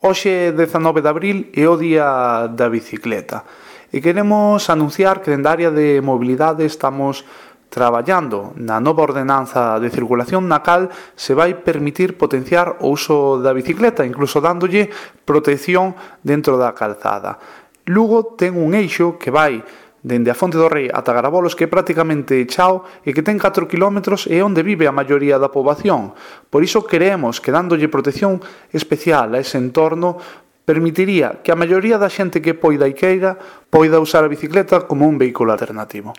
Hoxe, 19 de abril, é o día da bicicleta e queremos anunciar que dende a área de mobilidade estamos traballando na nova ordenanza de circulación na cal se vai permitir potenciar o uso da bicicleta, incluso dándolle protección dentro da calzada. Lugo ten un eixo que vai dende a Fonte do Rei ata Garabolos, que é prácticamente chao e que ten 4 km e onde vive a maioría da poboación. Por iso queremos que dándolle protección especial a ese entorno permitiría que a maioría da xente que poida e queira poida usar a bicicleta como un vehículo alternativo.